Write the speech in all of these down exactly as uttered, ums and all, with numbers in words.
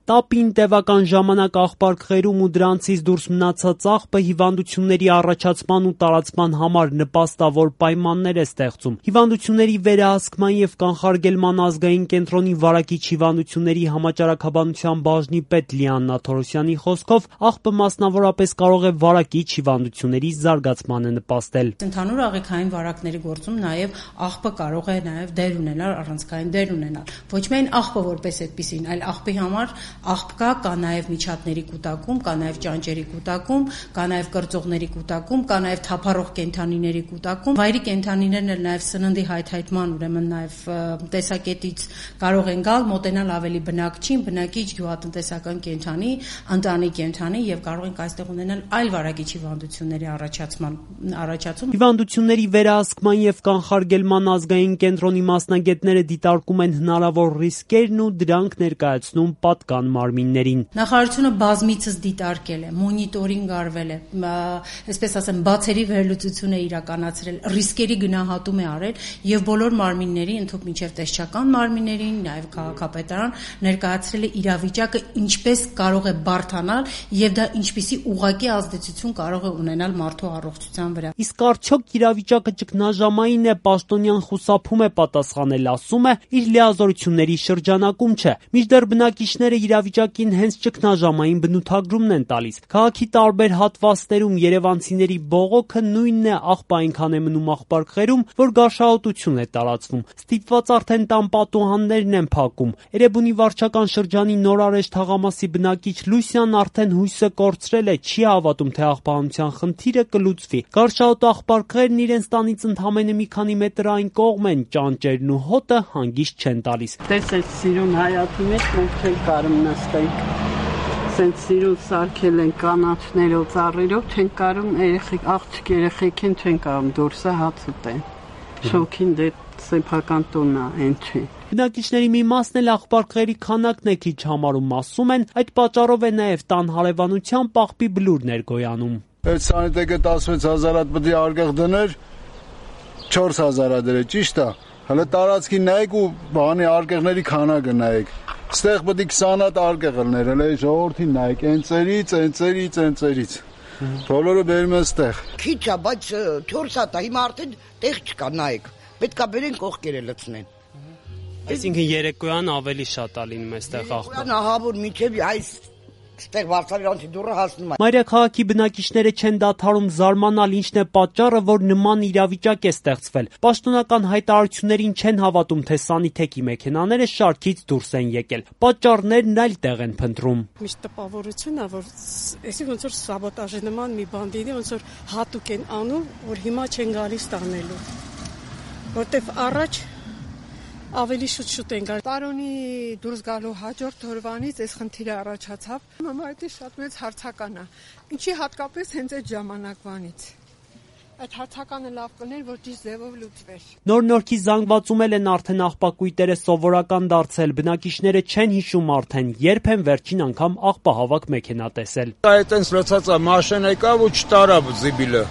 Տապին տևական ժամանակ աղբարկղերում ու դրանցից դուրս մնացած աղբը հիվանդությունների առաջացման ու տարածման համար նպաստավոր պայմաններ է ստեղծում։ Հիվանդությունների վերահսկման և կանխարգելման ազգային կենտրոնի վարակիչ հիվանդությունների համաճարակաբանության բաժնի պետ Լիաննա Թորոսյանի խոսքով աղբը մասնավորապես կարող է վարակիչ հիվանդությունների զարգացմանը նպաստել։ Ընդհանուր աղիքային վարակների գործում նաև աղբը կարող է նաև դեր ունենալ, առանցքային դեր ունենալ։ Ոչ միայն աղբը որպես այդպիսին, այլ աղբի համար աղբ կա, կա նաև միջատների կուտակում, կա նաև ճանճերի կուտակում, կա նաև կրծողների կուտակում, կա նաև թափառող կենդանիների կուտակում։ Վայրի կենդանիներն էլ նաև սննդի հայթայթման, ուրեմն նաև տեսակետից կարող են գալ, մոտենալ ավելի բնակչին, բնակիչ գյուղատնտեսական կենդանի, ընտանի կենդանի եւ կարող ենք այստեղ ունենալ այլ վարակիչ հիվանդությունների առաջացման առաջացում։ Հիվանդությունների վերահսկման եւ կանխարգելման ազգային կենտրոնի մասնագետները դիտարկում են հնարավոր ռիսկերն ու դրանք ներկայացնում պատկան մարմիններին։ Նախարարությունը բազմիցս դիտարկել է, մոնիտորինգ արվել է, այսպես ասեմ, բացերի վերլուծություն է իրականացրել, ռիսկերի գնահատում է արել եւ բոլոր մարմինների, ընդհանուր մինչեւ տեսչական մարմիններին, նաեւ քաղաքապետարան ներկայացրել է իրավիճակը, ինչպես կարող է բարդանալ եւ դա ինչպիսի ուղղակի ազդեցություն կարող է ունենալ մարդու առողջության վրա։ Իսկ արդյոք իրավիճակը ճգնաժամային է, պաշտոնյան խուսափում է պատասխանել, ասում է, իր լիազորությունների շրջանակում չէ։ Մինչդեռ բնակիչները իրավիճակին հենց ճգնաժամային բնութագրումն են տալիս։ Քաղաքի տարբեր հատվածներում երևանցիների բողոքը նույնն է, աղբը այնքան է մնում աղբարկղերում, որ գարշահոտություն է տարածվում։ Ստիպված արդեն տան պատուհաններն են փակում։ Էրեբունի վարչական շրջանի Նորարեշ թաղամասի բնակիչ Լուսյան արդեն հույսը կորցրել է, չի հավատում, թե աղբահանության խնդիրը կլուծվի։ Գարշահոտ աղբարկղերն իրենց տանից ընդամենը մի քանի մետր այն կողմ են, ճանճերն ու հոտը հանգիստ չեն տալիս։ Տեսեք սիրուն հայաթի մեջ մենք չենք կարում նստենք։ Սենց սիրուն սարքել են կանաչներով, ծառերով, չեն կարում երեխեք, աղջիկ երեխեք են չեն կարում դուրսը հաց ուտեն։ Շոքին դե սեփական տունն է, այն չի։ Բնակիչների մի մասն էլ աղբարկղերի քանակն է քիչ համարում, ասում են, այդ պատճառով է նաև տան հարևանության պաղբի բլուրներ գոյանում։ Այդ սանիտեկը տասնվեց հազար հատ պետք է արգեղ դներ, չորս հազար դրե, ճիշտ է։ Հələ տարածքի նայեք ու բանի արգեղների քանակը նայեք։ Ստեղ պետք է քսան հատ արգեղ լներ, հələ ժողովրդին նայեք, այնցերից, այնցերից, այնցերից։ Բոլորը բերում են ստեղ։ Քիչ է, բայց չորս հատ է, հիմա արդեն տեղ չկա, նայեք։ Պետք է բերեն կողքերը լցնեն։ Այսինքն երեկոյան ավելի շատ է լինում այստեղ աղբը։ Երեկոյան ահավոր միջև այս ստեղ վարսավիրանցի դուռը հասնում է։ Մայրաքաղաքի բնակիչները չեն դադարում զարմանալ, ինչն է պատճառը, որ նման իրավիճակ է ստեղծվել։ Պաշտոնական հայտարարություններին չեն հավատում, թե սանիթեկի մեքենաները շարքից դուրս են եկել։ Պատճառներն այլ տեղ են փնտրում։ Միշտ տպավորություն է, որ այսինքն ոնց որ սաբոտաժի նման մի բան դիտի, ոնց որ հատուկ են անում, որ հիմա չեն գալիս տանելու։ Որտեվ առաջ ավելի շուտ-շուտ են գալ։ Տարոնի դուրս գալու հաջորդ օրվանից այս խնդիրը առաջացավ։ Մամայդի շատ մեծ հարցական է։ Ինչի հատկապես հենց այդ ժամանակվանից։ Այդ հարցականը լավ կներ, որ ճիշտ ձևով լուծվեր։ Նոր-նորքի զանգվածում են արդեն աղբակույտերը սովորական դարձել։ Բնակիչները չեն հիշում արդեն, երբ են վերջին անգամ աղբահավաք մեքենա տեսել։ Այդ այնց լցած է, մաշին եկավ ու չտարավ զիբիլը։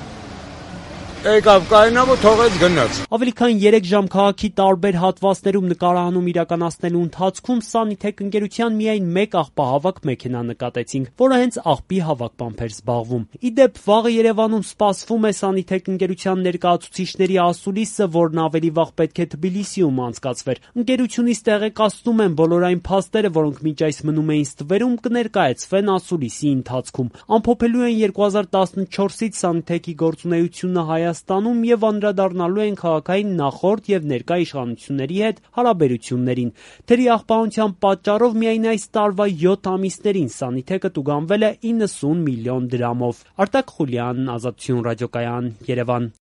Եկավ կայնավ ու թողեց գնաց։ Ավելի քան երեք ժամ քաղաքի տարբեր հատվածներում նկարահանում իրականացնելու ընթացքում Սանիթեք ընկերության միայն մեկ աղբահավաք մեքենա նկատեցինք, որը հենց աղբի հավաքմամբ էր զբաղվում։ Ի դեպ, վաղը Երևանում սպասվում է Սանիթեք ընկերության ներկայացուցիչների ասուլիսը, որն ավելի վաղ պետք է Թբիլիսիում անցկացվեր։ Ընկերությունից տեղեկացնում են, բոլոր այն փաստերը, որոնք մինչ այս մնում էին ստվերում, կներկայացվեն ասուլիսի ընթացքում։ Ամփոփելու են երկու հազար տասնչորսից Սանիթեկի գործունեությունը Հայաստանում եւ անդրադառնալու են քաղաքային նախորդ եւ ներկա իշխանությունների հետ հարաբերություններին։ Թերի աղբահանության պատճառով միայն այս տարվա յոթ ամիսներին Սանիթեկը տուգանվել է իննսուն միլիոն դրամով։ Արտակ Խուլյան, Ազատություն ռադիոկայան, Երևան։